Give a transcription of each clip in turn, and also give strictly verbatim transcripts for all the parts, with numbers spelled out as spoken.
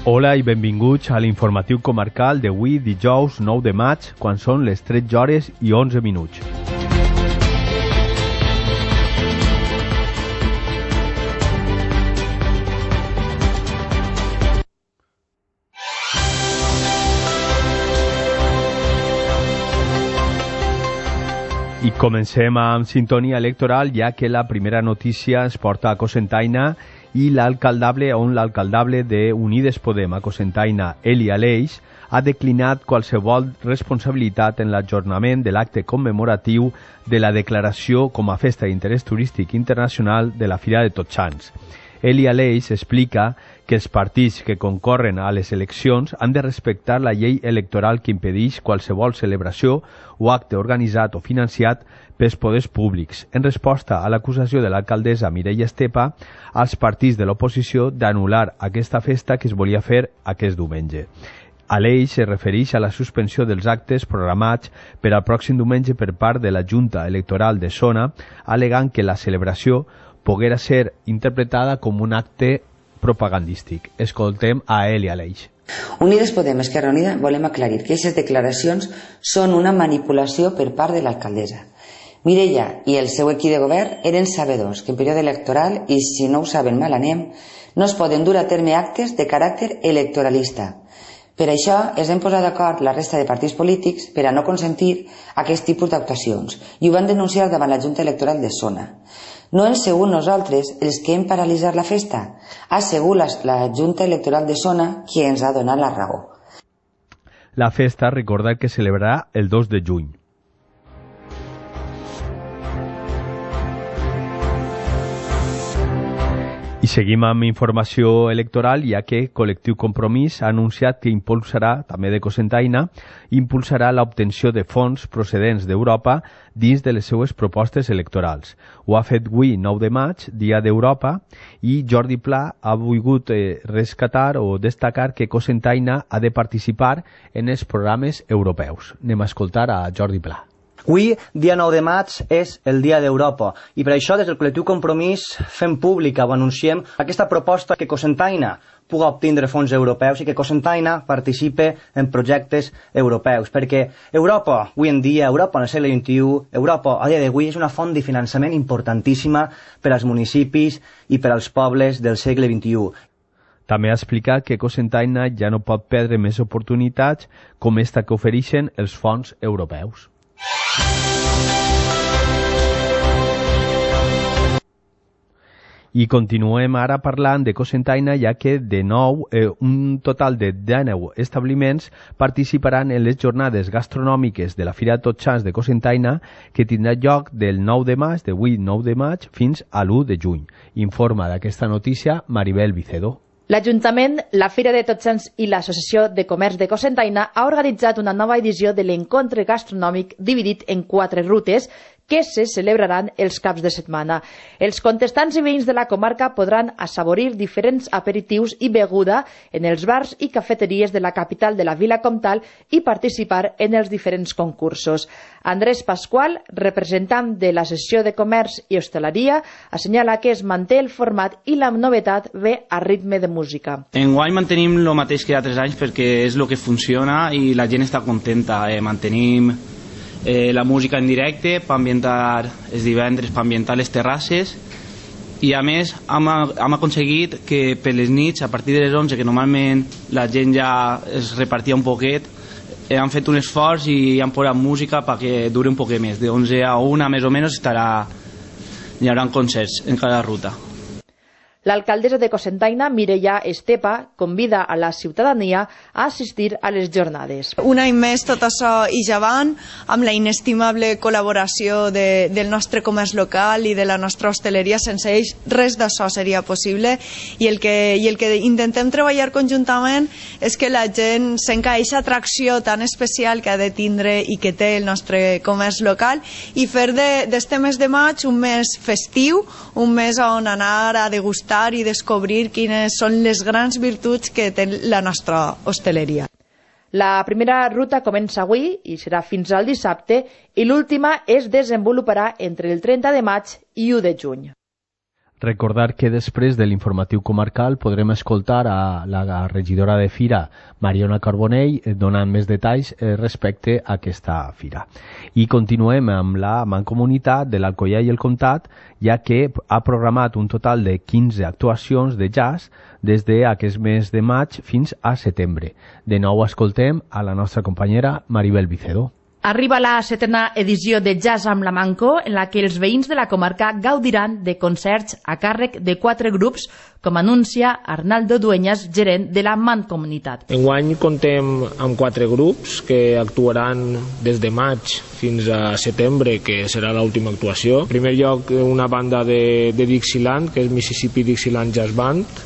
Hola i benvinguts a l'informatiu comarcal d'avui dijous nou de maig, quan són les tretze hores i onze minuts. I comencem amb sintonia electoral, ja que la primera notícia es porta a Cocentaina i l'alcaldable, on l'alcaldable de Unides Podem a Cocentaina, Eli Aleix, ha declinat qualsevol responsabilitat en l'ajornament de l'acte commemoratiu de la declaració com a festa d'interès turístic internacional de la Fira de Tots Sants. Eli Aleix explica que els partits que concorren a les eleccions han de respectar la llei electoral que impedeix qualsevol celebració o acte organitzat o financiat pels poders públics, en resposta a l'acusació de l'alcaldessa Mireia Estepa als partits de l'oposició d'anul·lar aquesta festa que es volia fer aquest diumenge. Aleix es refereix a la suspensió dels actes programats per al pròxim diumenge per part de la Junta Electoral de Zona, alegant que la celebració poguera ser interpretada com un acte propagandístic. Escoltem a Eli Aleix. Unides Podem, Esquerra Unida, volem aclarir que aquestes declaracions són una manipulació per part de l'alcaldessa. Mireia i el seu equip de govern eren sabedors que en període electoral, i si no ho saben mal anem, no es poden dur a terme actes de caràcter electoralista. Per això es van posar d'acord la resta de partits polítics per a no consentir aquest tipus d'actuacions i ho van denunciar davant la Junta Electoral de Zona. No hem sigut nosaltres els que hem paralitzat la festa, ha sigut la, la Junta Electoral de Zona qui ens ha donat la raó. La festa, recordar que celebrarà el dos de juny. I seguim amb informació electoral, ja que Col·lectiu Compromís ha anunciat que impulsarà, també de Cocentaina, impulsarà l'obtenció de fons procedents d'Europa dins de les seues propostes electorals. Ho ha fet avui, nou de maig, Dia d'Europa, i Jordi Pla ha volgut eh, rescatar o destacar que Cocentaina ha de participar en els programes europeus. Anem a escoltar a Jordi Pla. Avui, dia nou de maig, és el Dia d'Europa i per això des del Col·lectiu Compromís fem pública o anunciem aquesta proposta que Cocentaina pugui obtindre fons europeus i que Cocentaina participe en projectes europeus, perquè Europa, avui en dia, Europa en el segle vint-i-u, Europa a dia d'avui és una font de finançament importantíssima per als municipis i per als pobles del segle vint-i-u. També ha explicat que Cocentaina ja no pot perdre més oportunitats com esta que ofereixen els fons europeus. I continuem ara parlant de Cocentaina, ja que de nou eh, un total de dinou establiments participaran en les jornades gastronòmiques de la Fira de Tots Sants de Cocentaina, que tindrà lloc del nou de maig, d'avui nou de maig, fins a l'u de juny. Informa d'aquesta notícia Maribel Vicedo. L'Ajuntament, la Fira de Tots Sants i l'Associació de Comerç de Cocentaina ha organitzat una nova edició de l'encontre gastronòmic dividit en quatre rutes que se celebraran els caps de setmana. Els contestants i veïns de la comarca podran assaborir diferents aperitius i beguda en els bars i cafeteries de la capital de la Vila Comtal i participar en els diferents concursos. Andrés Pasqual, representant de l'Associació de Comerç i Hostaleria, assenyala que es manté el format i la novetat ve a ritme de música. Enguany mantenim el mateix que altres anys perquè és el que funciona i la gent està contenta. Eh, mantenim Eh, la música en directe per ambientar els divendres, per ambientar les terrasses i a més hem, hem aconseguit que per les nits a partir de les onze, que normalment la gent ja es repartia un poquet, eh, han fet un esforç i han posat música perquè duri un poquet més, de onze a una més o menys estarà, hi haurà concerts en cada ruta. L'alcaldessa de Cocentaina, Mireia Estepa, convida a la ciutadania a assistir a les jornades. Un any més tot això i javant, amb la inestimable col·laboració de, del nostre comerç local i de la nostra hostaleria. Sense ells res d'això seria possible i el, que, i el que intentem treballar conjuntament és que la gent sent aquesta atracció tan especial que ha de tindre i que té el nostre comerç local i fer d'este mes de maig un mes festiu, un mes on anar a degustar i descobrir quines són les grans virtuts que té la nostra hostaleria. La primera ruta comença avui i serà fins al dissabte i l'última es desenvoluparà entre el trenta de maig i u de juny. Recordar que després de l'informatiu comarcal podrem escoltar a la regidora de Fira, Mariona Carbonell, donant més detalls respecte a aquesta fira. I continuem amb la Mancomunitat de l'Alcoià i el Comtat, ja que ha programat un total de quinze actuacions de jazz des d'aquest mes de maig fins a setembre. De nou escoltem a la nostra companyera Maribel Vicedo. Arriba la setena edició de Jazz amb la Manco, en la que els veïns de la comarca gaudiran de concerts a càrrec de quatre grups, com anuncia Arnaldo Dueñas, gerent de la Mancomunitat. Enguany contem amb quatre grups que actuaran des de maig fins a setembre, que serà l'última actuació. En primer lloc, una banda de, de Dixieland, que és Mississippi Dixieland Jazz Band.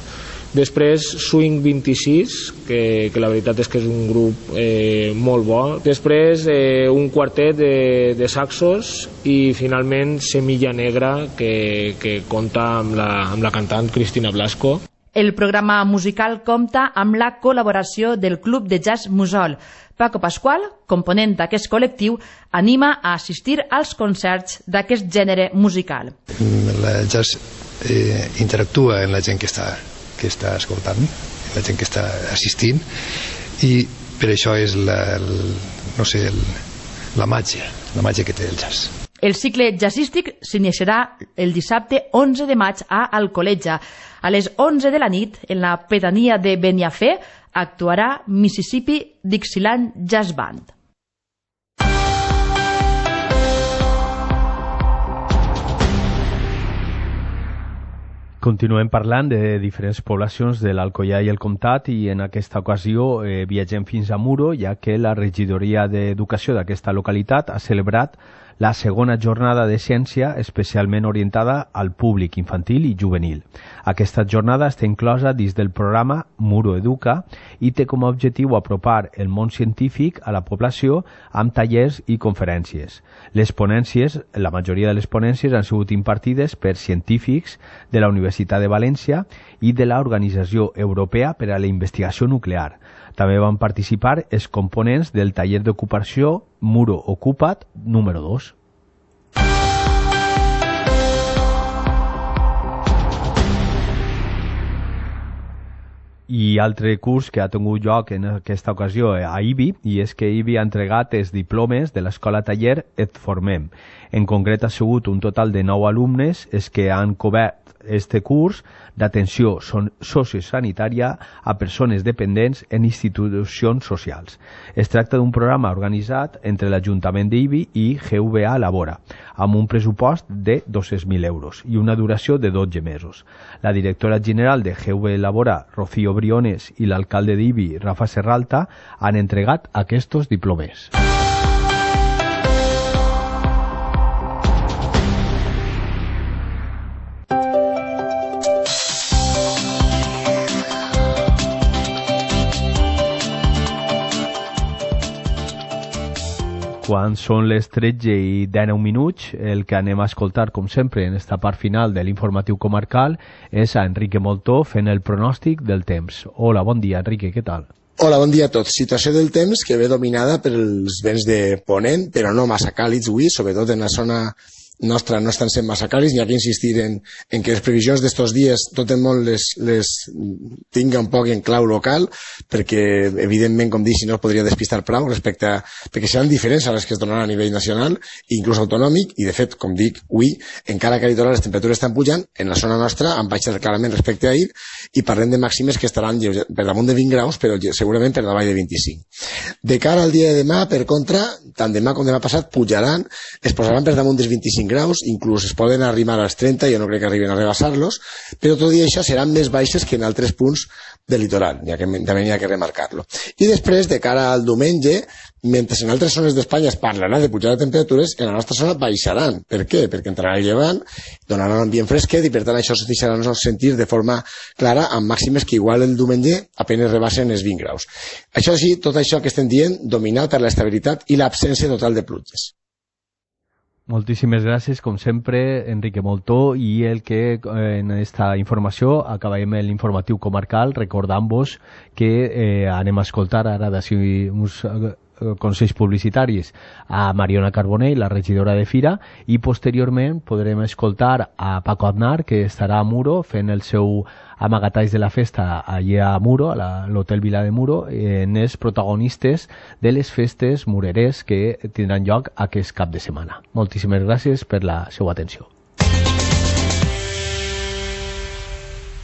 Després Swing vint-i-sis, que, que la veritat és que és un grup eh, molt bo. Després eh, un quartet de, de saxos i finalment Semilla Negra, que, que compta amb la, amb la cantant Cristina Blasco. El programa musical compta amb la col·laboració del Club de Jazz Musol. Paco Pasqual, component d'aquest col·lectiu, anima a assistir als concerts d'aquest gènere musical. El jazz eh, interactua amb la gent que està que està escoltant, la gent que està assistint, i per això és la, el, no sé, el, la màgia, la màgia que té el jazz. El cicle jazzístic s'iniciarà el dissabte onze de maig a Alcoletja. A les onze de la nit, en la pedania de Beniafé, actuarà Mississippi Dixieland Jazz Band. Continuem parlant de diferents poblacions de l'Alcoià i el Comtat i en aquesta ocasió eh, viatgem fins a Muro, ja que la regidoria d'Educació d'aquesta localitat ha celebrat la segona jornada de ciència especialment orientada al públic infantil i juvenil. Aquesta jornada està inclosa dins del programa Muro Educa i té com a objectiu apropar el món científic a la població amb tallers i conferències. Les ponències, la majoria de les ponències han sigut impartides per científics de la Universitat de València i de l'Organització Europea per a la Investigació Nuclear. També van participar els components del taller d'ocupació Muro Ocupa't número dos. I altre curs que ha tingut lloc en aquesta ocasió a I B I, i és que I B I ha entregat els diplomes de l'escola taller Et Formem. En concret ha sigut un total de nou alumnes els que han cobert este curs d'atenció sociosanitària a persones dependents en institucions socials. Es tracta d'un programa organitzat entre l'Ajuntament d'I B I i G V A Labora, amb un pressupost de dos-cents mil euros i una duració de dotze mesos. La directora general de G V A Labora, Rocío Briones, i l'alcalde d'I B I, Rafa Serralta, han entregat aquests diplomes. Quan són les tretze i dinou minuts, el que anem a escoltar, com sempre, en esta part final de l'informatiu comarcal, és a Enrique Moltó fent el pronòstic del temps. Hola, bon dia, Enrique, què tal? Hola, bon dia a tots. Situació del temps que ve dominada pels vents de ponent, però no massa càlids avui, sobretot en la zona nostra no estan sent massa càlids. N'hi ha que insistir en, en que les previsions d'estos dies tot el món les, les tinga un poc en clau local, perquè evidentment, com dic, si no es podria despistar prou respecte a, perquè seran diferents a les que es donaran a nivell nacional, inclús autonòmic, i de fet, com dic, avui, encara que a litoral les temperatures estan pujant, en la zona nostra han baixat clarament respecte a ahir, i parlem de màximes que estaran per damunt de vint graus, però segurament per davall de vint-i-cinc. De cara al dia de demà, per contra, tant demà com demà passat pujaran, es posaran per damunt dels vint-i-cinc graus, inclús es poden arrimar als trenta, jo no crec que arriben a rebassar-los, però tot i això seran més baixes que en altres punts del litoral, ja que també n'hi ha que remarcar-lo. I després, de cara al diumenge, mentre en altres zones d'Espanya es parlarà de pujar de temperatures, en la nostra zona baixaran. Per què? Perquè entrarà el llevant, donaran un ambient fresquet i per tant això es deixarà sentir de forma clara amb màximes que igual el diumenge apenas rebassen els vint graus. Això sí, tot això que estem dient, dominat per l'estabilitat i l'absència total de pluges. Moltíssimes gràcies, com sempre, Enrique Moltó, i el que en esta informació acabem l'informatiu comarcal recordant-vos que eh, anem a escoltar ara d'ací uns consells publicitaris a Mariona Carbonell, la regidora de Fira, i posteriorment podrem escoltar a Paco Aznar, que estarà a Muro fent el seu amagatalls de la festa allà a Muro, a l'Hotel Vila de Muro, en els protagonistes de les festes mureres que tindran lloc aquest cap de setmana. Moltíssimes gràcies per la seva atenció.